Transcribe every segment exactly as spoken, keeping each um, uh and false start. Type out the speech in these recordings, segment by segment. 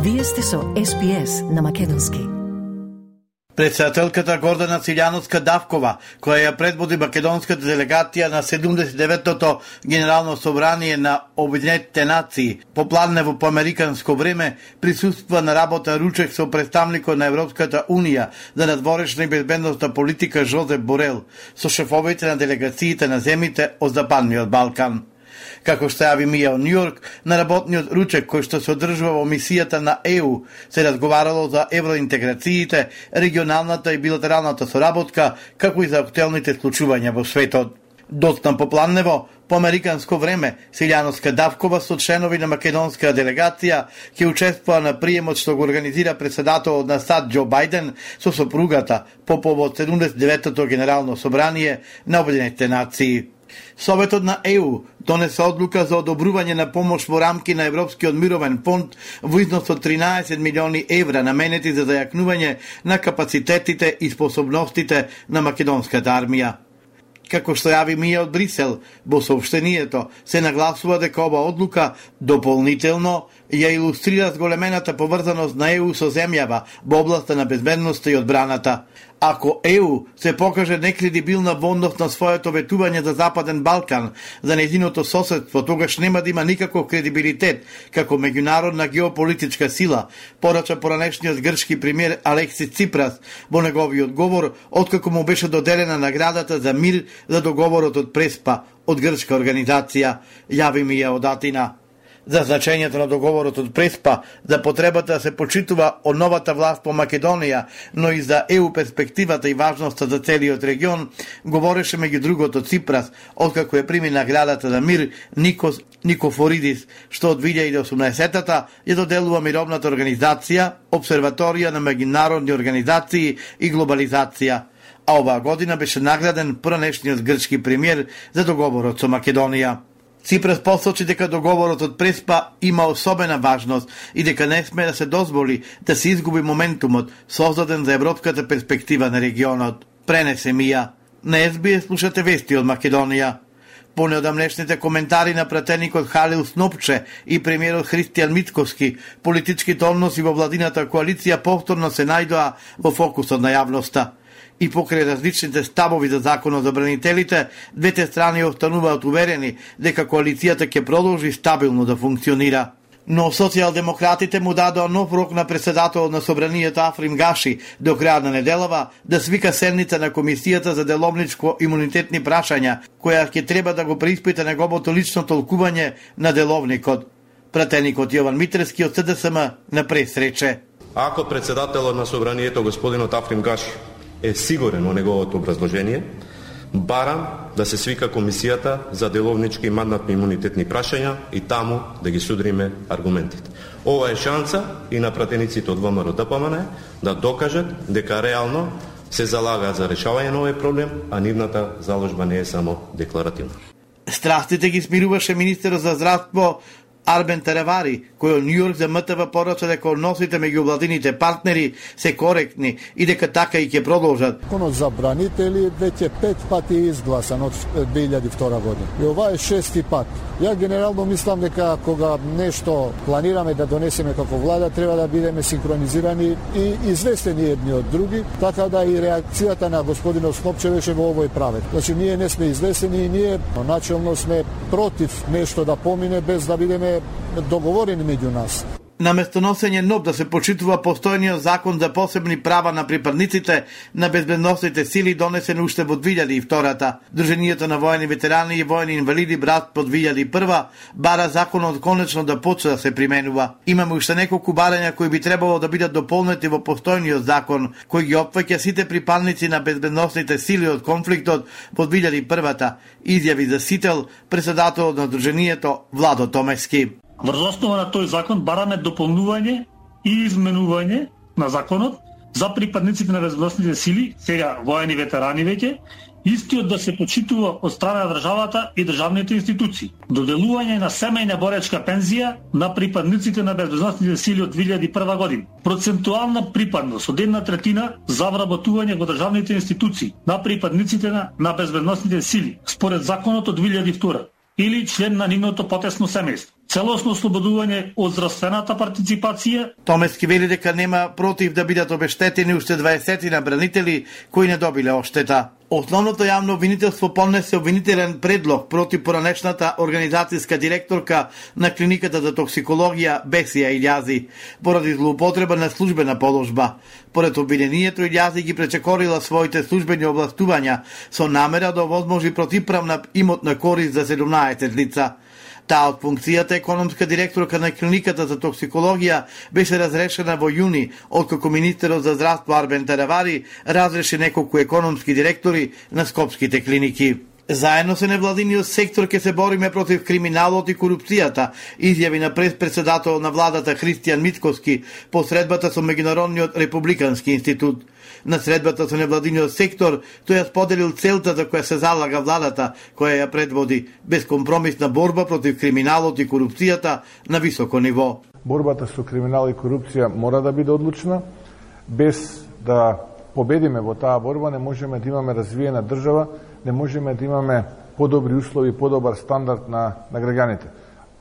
Вие сте со Ес Би Ес на македонски. Председателката Гордана Циљановска-Давкова, која ја предводи македонската делегација на седумдесет и деветото Генерално собрание на Обединетите нации, попладнево по американско време, присуства на работа ручек со представникот на Европската Унија за надворешна и безбедностна политика Жозеп Борел, со шефовите на делегациите на земите од Западниот Балкан. Како што јави Мија од Њујорк, на работниот ручек кој што се одржува во мисијата на Е У се разговарало за евроинтеграциите, регионалната и билатералната соработка, како и за актуелните случувања во светот. Доцна попладнево, по американско време, Циљановска-Давкова со членови на македонска делегација ќе учествува на приемот што го организира председателот на САД Џо Бајден со сопругата по повод седумдесет и деветото Генерално собрание на Обединетите нации. Советот на Е У донесе одлука за одобрување на помош во рамки на Европскиот мировен фонд во износ од тринаесет милиони евра наменети за зајакнување на капацитетите и способностите на македонската армија. Како што јави Мија од Брисел, во соопштението се нагласува дека ова одлука дополнително ја илустрира зголемената поврзаност на Е У со земјава во областа на безбедноста и одбраната. Ако Е У се покаже некредибилна во однос на своето ветување за Западен Балкан, за нејзиното соседство, тогаш нема да има никаков кредибилитет како меѓународна геополитичка сила, порача поранешниот грчки премиер Алексис Ципрас во неговиот говор, откако му беше доделена наградата за мир за договорот од Преспа од грчка организација, јави Мија од Атина. За значењето на договорот од Преспа, за потребата да се почитува од новата власт по Македонија, но и за Е У перспективата и важноста за целиот регион, говореше меѓу другото Ципрас, откако ја прими наградата за мир Никос Никофоридис, што од две илјади и осумнаесетата ја доделува мировната организација, обсерваторија на меѓународни организации и глобализација. А оваа година беше награден поранешниот грчки премиер за договорот со Македонија. Ципрас посочи дека договорот од Преспа има особена важност и дека не сме да се дозволи да се изгуби моментумот создаден за европската перспектива на регионот. Пренесе Мија. На Ес Би Ес слушате вести од Македонија. По неодамнешните коментари на пратеникот Халил Снопче и премиерот Христијан Мицкоски, политичките односи во владината коалиција повторно се најдоа во фокусот на јавноста. И покрај различните ставови за законот за бранителите, двете страни остануваат уверени дека коалицијата ќе продолжи стабилно да функционира. Но социјалдемократите му дадоа нов рок на председателот на собранието Африм Гаши до крај на неделава да свика седница на Комисијата за деловничко имунитетни прашања, која ќе треба да го преиспита неговото лично толкување на деловникот. Пратеникот Јован Митрески од Се Де Се Ем на прес рече: Ако председателот на собранието господинот Африм Гаши е сигурен во неговото образложение, барам да се свика Комисијата за деловнички и мандатни имунитетни прашања и таму да ги судриме аргументите. Ова е шанса и на пратениците од Вэ Ем Р Д П М Н да докажат дека реално се залагаат за решавање на овој проблем, а нивната заложба не е само декларативна. Страстите ги смируваше министерот за здравство Арбен Теревари, кој од Њујорк за М Т В порача дека односите меѓу владините партнери се коректни и дека така и ќе продолжат. Законот за бранители веќе пет пати е изгласан од две илјади и втора година. И ова е шести пат. Ја генерално мислам дека кога нешто планираме да донесеме како влада, треба да бидеме синхронизирани и известени едни од други, така да и реакцијата на господинот Снопче беше во овој правец. Значи ние не сме известени и ние начелно сме против нешто да помине без да бидеме договорени меѓу нас. Наместо носење нов да се почитува постојниот закон за посебни права на припадниците на безбедносните сили донесен уште во две илјади и втората. Друженијето на воени ветерани и воени инвалиди Брат по две илјади и прва бара законот конечно да почне да се применува. Имаме уште неколку барања кои би требало да бидат дополнети во постојниот закон, кој ги опфаќа сите припадници на безбедносните сили од конфликтот по две илјади и првата, изјави за Сител председателот на Друженијето Владо Томески. Врз основа на тој закон бараме дополнување и изменување на законот за припадниците на безбедносните сили, сега воени ветерани веќе, истиот да се почитува од страна на државата и државните институции. Доделување на семејна боречка пензија на припадниците на безбедносните сили од две илјади и прва година. Процентуална припадност од една третина за вработување во државните институции на припадниците на, на безбедносните сили, според законот од две илјади и втора или член на нивното потесно семејство. целосно ослободување од здравствената партиципација. Томески вели дека нема против да бидат обештетени уште дваесет на бранители кои не добиле оштета. Основното јавно обвинителство поднесе обвинителен предлог против поранешната организацијска директорка на клиниката за токсикологија Бесија Илјази поради злоупотреба на службена положба. Поред обвинението, Илјази ги пречекорила своите службени овластувања со намера да овозможи противправна имотна корист за седумнаесет лица. Таа од функцијата економска директорка на клиниката за токсикологија беше разрешена во јуни, откако министерот за здравство Арбен Таравари разреши неколку економски директори на скопските клиники. Заедно со невладиниот сектор ќе се бориме против криминалот и корупцијата, изјави на прес-председател на владата Христијан Мицкоски по средбата со Меѓународниот републикански институт. На средбата со невладиниот сектор тој ја споделил целта за која се залага владата, која ја предводи безкомпромисна борба против криминалот и корупцијата на високо ниво. Борбата со криминал и корупција мора да биде одлучна. Без да победиме во таа борба не можеме да имаме развиена држава, не можеме да имаме подобри услови, подобар стандард на, на граѓаните.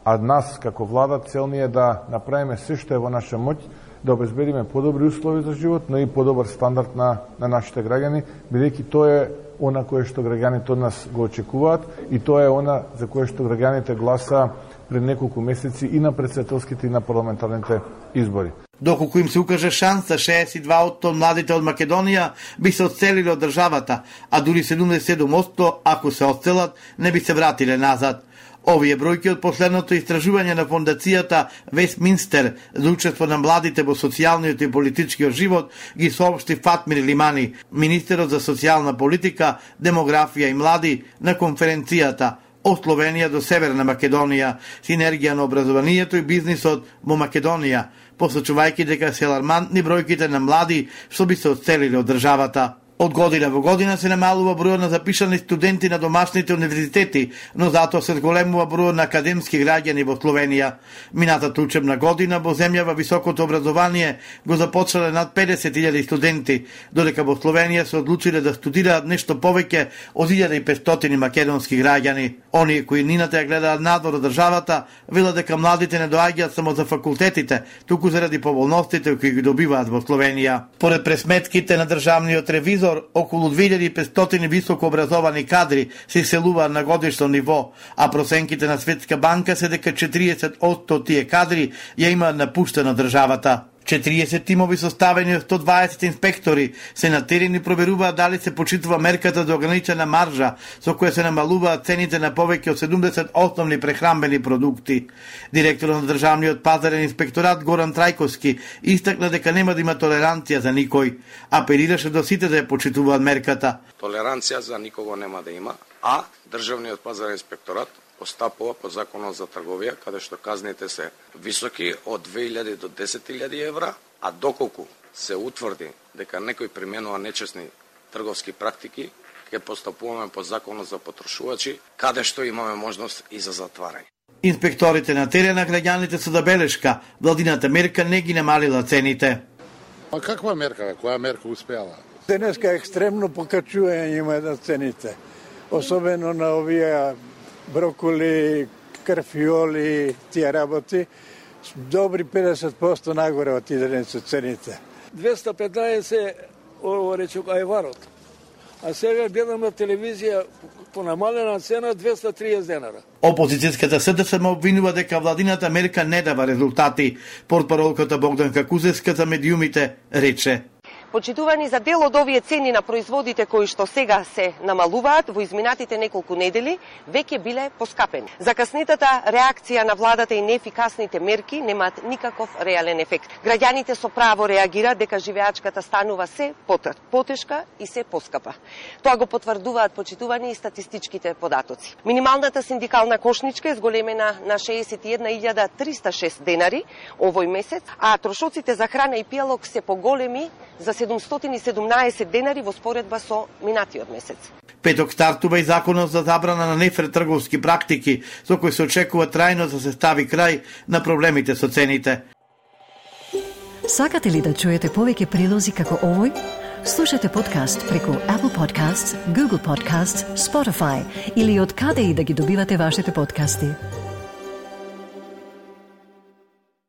А нас, како влада, цел ни е да направиме се што е во наша моќ, да обезбедиме подобри услови за живот, но и подобар стандард на, на нашите граѓани, бидејќи тоа е она кое што граѓаните од нас го очекуваат и тоа е она за кое што граѓаните гласа пред неколку месеци и на претседателските и на парламентарните избори. Доколку им се укаже шанса, шеесет и два одсто младите од Македонија би се одселили од државата, а дури седумдесет и седум одсто, ако се одселат, не би се вратиле назад. Овие бројки од последното истражување на фондацијата Вестминстер за учество на младите во социјалниот и политичкиот живот ги соопшти Фатмир Лимани, министерот за социјална политика, демографија и млади, на конференцијата од Словенија до Северна Македонија, синергија на образованието и бизнисот во Македонија, посочувајќи дека се алармантни бројките на млади што би се одселили од државата. Од година во година се намалува бројот на запишани студенти на домашните универзитети, но затоа се зголемува бројот на академски граѓани во Словенија. Минатата учебна година во земјава високото образование го започнале над педесет илјади студенти, додека во Словенија се одлучиле да студираат нешто повеќе од илјада и петстотини македонски граѓани. Оние кои нината ја гледаат надвор од државата, велат дека младите не доаѓаат само за факултетите, туку заради поволностите кои ги добиваат во Словенија. Поред пресметките на државниот ревизор, околу две илјади и петстотини високо образовани кадри се иселуваат на годишно ниво, а проценките на Светска банка се дека четириесет одсто тие кадри ја имаат напуштена државата. четириесет тимови составени од сто дваесет инспектори се на терен и проверуваат дали се почитува мерката за ограничена маржа со која се намалуваат цените на повеќе од седумдесет основни прехранбени продукти. Директорот на државниот пазарен инспекторат Горан Трајковски истакна дека нема да има толеранција за никој, апелираше до сите да ја почитуваат мерката. Толеранција за никого нема да има, а државниот пазарен инспекторат постапува по законот за трговија, каде што казните се високи од две илјади до десет илјади евра, а доколку се утврди дека некој применува нечесни трговски практики, ќе постапуваме по законот за потрошувачи, каде што имаме можност и за затварање. Инспекторите на терена граѓаните со забелешка, владината мерка не ги намалила цените. А каква мерка, која мерка успеала? Денеска екстремно покачување има на цените, особено на овие броколи, карфиоли, тие работи, добри педесет одсто нагоре отидени со цените. двеста петнаесет ово речок ајварот. А сега гледам на телевизија по намалена цена двеста триесет денара. Опозицијската СДСМ обвинува дека владината мерка не дава резултати. Портпаролката Богданка Кузевска за медиумите рече: Почитувани, за дел од овие цени на производите кои што сега се намалуваат во изминатите неколку недели веќе биле поскапени. Закаснетата реакција на владата и неефикасните мерки немаат никаков реален ефект. Граѓаните со право реагираат дека живеачката станува се потешка и се поскапа. Тоа го потврдуваат почитувани и статистичките податоци. Минималната синдикална кошничка е зголемена на шеесет и една илјада триста и шест денари овој месец, а трошоците за храна и пијалок се поголеми за седумстотини и седумнаесет денари во споредба со минатиот месец. Петок стартува и законот за забрана на нефер трговски практики, со кој се очекува трајно да се стави крај на проблемите со цените. Сакате ли да чуете повеќе прилози како овој? Слушате подкаст преку Apple Podcasts, Google Podcasts, Spotify или од каде и да ги добивате вашите подкасти.